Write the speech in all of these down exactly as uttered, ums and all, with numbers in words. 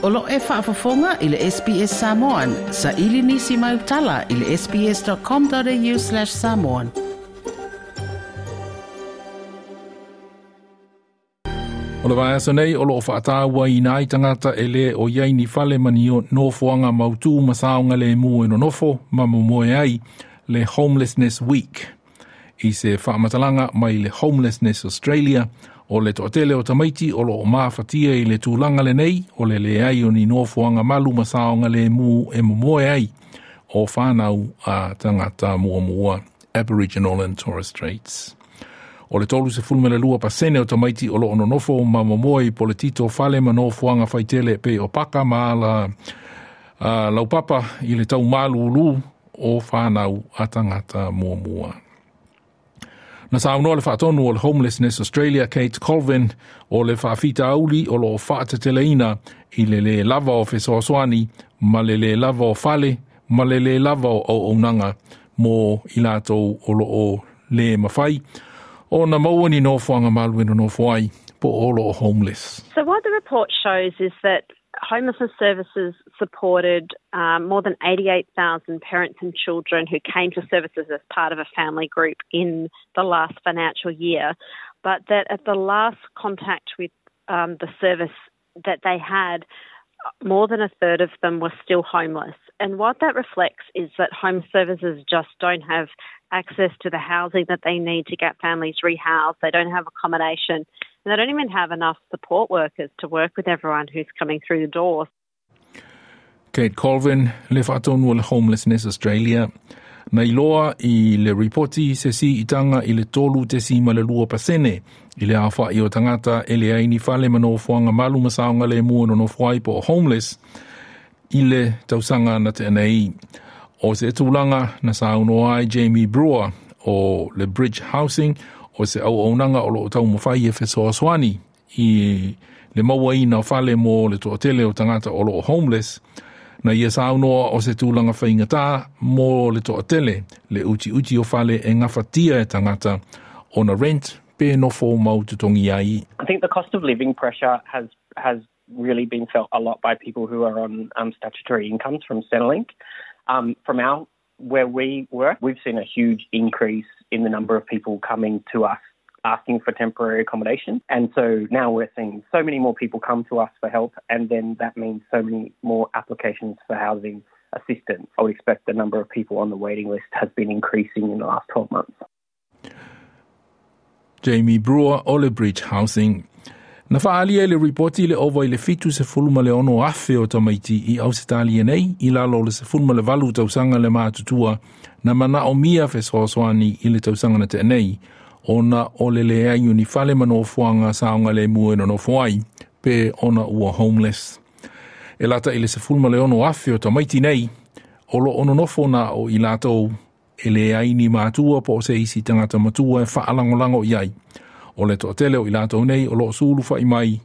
O lo e faafofoga i le S B S Samoan. Sa ili nisi mai utala i le sbs.com.au slash samoan. O le vaiaso nei o loo faataua i nai tangata e le o iai ni fale ma ni nofoaga mautū ma saoga lemu e nonofo ma momoe ai le Homelessness Week. I se faamatalaga mai le Homelessness Australia o le toatele o tamaiti o loo mafatia i le tulaga lenei o le leai o ni nofoaga malu ma saoga lemu e momoe ai o whanau a tangata muamua Aboriginal and Torres Straits. O le tolu se fulme le lua pasene o tamaiti o loo nonofo ma momoe i poletito fale ma nofoaga faitele pe o paka ma ala uh, laupapa i le tau malulu o whanau a tangata muamua. Na saunoa le faatonu o le Homelessness Australia Kate Colvin o le faafita auli o loo faateteleina i le le lava o fesoasoani ma le le lava o fale ma le le lava o auaunaga mo i latou o loo le mawhai o na maua ni nofoaga malu e nonofo ai po o loo homeless. So what the report shows is that homelessness services supported um, more than eighty-eight thousand parents and children who came to services as part of a family group in the last financial year, but that at the last contact with um, the service that they had, more than a third of them were still homeless. And what that reflects is that home services just don't have access to the housing that they need to get families rehoused. They don't have accommodation. And they don't even have enough support workers to work with everyone who's coming through the door. Kate Colvin, le faatonu o le Homelessness Australia. Na iloa i le ripoti se si itanga i le tolu te si ma le lua pasene i le awha i o tangata e le aini fale ma nofoaga malu ma saoga le mua nonofo ai po o homeless i le tausaga na te anei. O se tulaga na saunoa ai Jamie Brewer o le Bridge Housing o se auaunaga o loo taumafai e fesoasoani i le mauaina o fale mo le toatele o tangata o loo homeless na ia saunoa o se tulaga faigata mo le toatele le utiuti o fale e gafatia e tangata ona rent pe nofo mau totogi ai. I think the cost of living pressure has has really been felt a lot by people who are on um, statutory incomes from Centrelink. Um, from our where we work, we've seen a huge increase in the number of people coming to us asking for temporary accommodation. And so now we're seeing so many more people come to us for help, and then that means so many more applications for housing assistance. I would expect the number of people on the waiting list has been increasing in the last twelve months. Jamie Brewer, o le Bridge Housing. Na whaalia i le ripoti le ova i le fitu se fuluma le ono afe o tamaiti i Ausitalia nei, i lalo le se fuluma le valu tausaga le mātutua, na mana o mia fesoasoani i le tausaga na te nei, ona o le leai o ni fale ma nofoaga saoga le mua e nonofo ai, pe ona ua homeless. E lata i le se fuluma le ono afe o tamaiti nei, o lo ono nofo na o i latou e leai ni mātua po o se isi tangata matua e whaalangolango i ai. O le toatele o i latou nei o loo sulu whai mai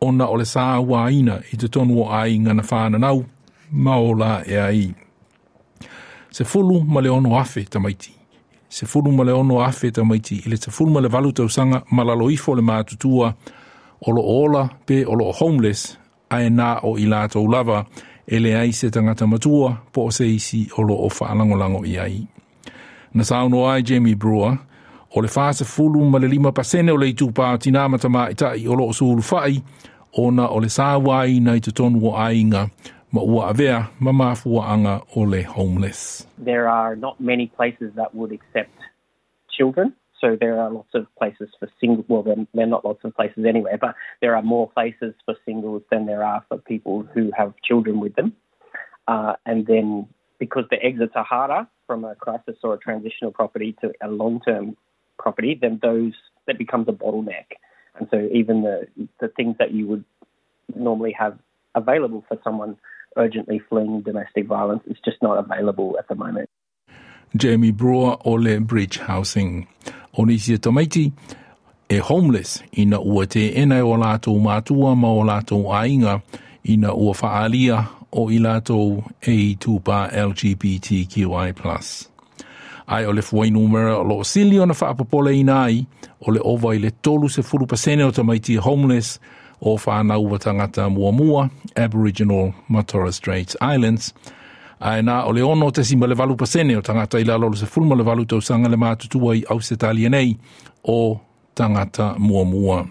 ona o le sāuaina i te tonu o ai ngana whananau ma o la e ai. Se fulu ma le ono afe tamaiti. Se fulu ma le ono afe tamaiti i le se fulu ma le valu tausaga ma lalo ifo le mātutua o lo ola pe o lo homeless ae nā o i latou lava e le ai se tangata matua po o se isi o lo o whaalangolango i ai. Na saunoa ai Jamie Brewer o le whaase fulu ma le lima pasene o le itupa o tina matama i tai o loo sulu whai, ona o le sāwai na i te tonu o ainga ma ua avea ma mafua anga o le homeless. There are not many places that would accept children. So there are lots of places for single, well, there, there are not lots of places anyway, but there are more places for singles than there are for people who have children with them. Uh, and then because the exits are harder from a crisis or a transitional property to a long-term property, then those, that becomes a bottleneck. And so even the, the things that you would normally have available for someone urgently fleeing domestic violence is just not available at the moment. Jamie Brewer o le Bridge Housing. O nisi e tamaiti e homeless ina ua te ena o lātou mātua ma o lātou ainga ina ua whaalia o i lātou e tūpā L G B T Q I plus. Ai o le fuai numera o loo sili ona whaapapole ina ai o le ova i le tolu se fulu pasene o tamaiti homeless o whanau wa tangata muamua, Aboriginal ma Torres Strait Islands. Ae na o le ono tesima le valu pasene o tangata i lalo o le sefulu ma le valu tausaga le matutua i Ausetalia nei o tangata muamua.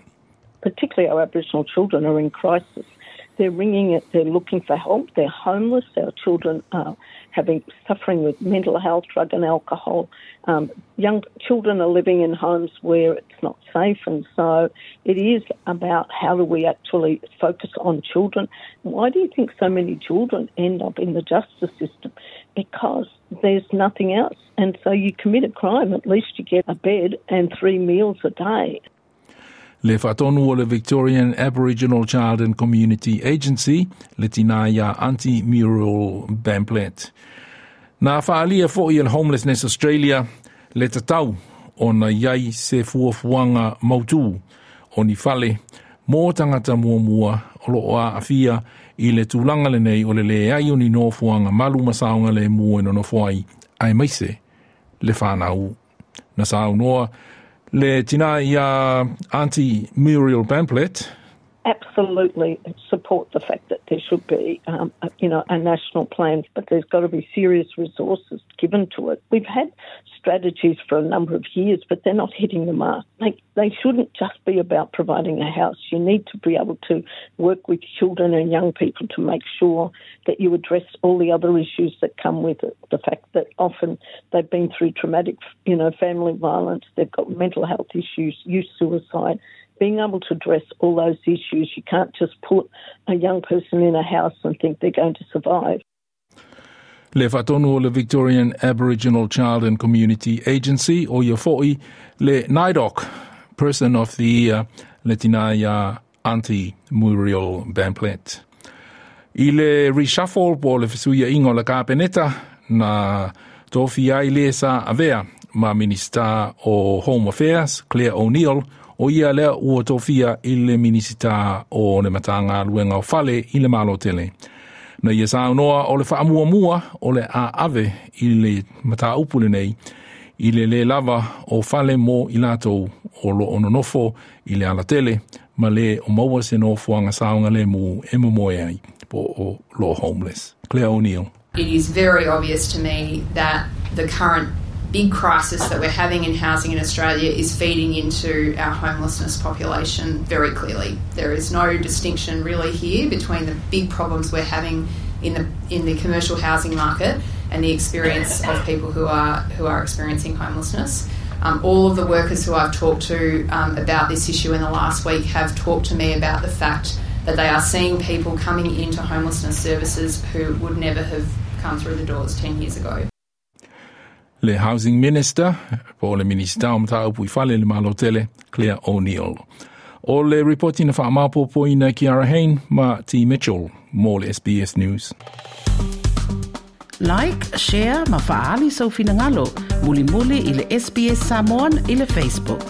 Particularly our Aboriginal children are in crisis. They're ringing it, they're looking for help, they're homeless, our children are having suffering with mental health, drug and alcohol. Um, young children are living in homes where it's not safe, and so it is about how do we actually focus on children. Why do you think so many children end up in the justice system? Because there's nothing else. And so you commit a crime, at least you get a bed and three meals a day. Le whaatonu o le Victorian Aboriginal Child and Community Agency, le tina ia Aunty Muriel Bamblett. Nā whaalia fo i le Homelessness Australia, le tatau o na iai se fuafuanga mautu o ni fale mō tangata muamua o lo a afia i le tūlanga le nei o le le ai o ni nofoanga malu masaonga le mua i nonofo ai ai maise le whanau. Na saunoa le tina ia Aunty Muriel Bamblett. Absolutely support the fact that there should be, um, a, you know, a national plan, but there's got to be serious resources given to it. We've had strategies for a number of years, but they're not hitting the mark. Like, they shouldn't just be about providing a house. You need to be able to work with children and young people to make sure that you address all the other issues that come with it. The fact that often they've been through traumatic, you know, family violence, they've got mental health issues, youth suicide. Being able to address all those issues, you can't just put a young person in a house and think they're going to survive. Le whaatonu o le Victorian Aboriginal Child and Community Agency o ia foi le NAIDOC Person of the Year le tina ia Aunty Muriel Bamblett. I le reshuffle po le fesuia ingo le kapeneta na tofi ai le sa avea ma Minista o Home Affairs Claire O'Neill o ia lea ua tofia i le Minisita o le matanga luenga o fale i le malo tele. Na ia saunoa o le whaamuamua o le a ave i le mataupu le nei i le le lava o fale mo i latou o lo ononofo i le alatele ma le o maua se nofoanga saonga le mu e momoe ai po o lo homeless. Claire O'Neill. It is very obvious to me that the current big crisis that we're having in housing in Australia is feeding into our homelessness population very clearly. There is no distinction really here between the big problems we're having in the in the commercial housing market and the experience of people who are who are experiencing homelessness. Um, all of the workers who I've talked to um, about this issue in the last week have talked to me about the fact that they are seeing people coming into homelessness services who would never have come through the doors ten years ago. Le Housing Minister, po le Minista o Mataupu i Fale le Malo Tele, Claire O'Neill. O le reporti na whaamapopo ina Kiara Hain ma T. Mitchell, mō le S B S News. Like, share, ma faali sau finangalo, muli muli i le S B S Samoan i le Facebook.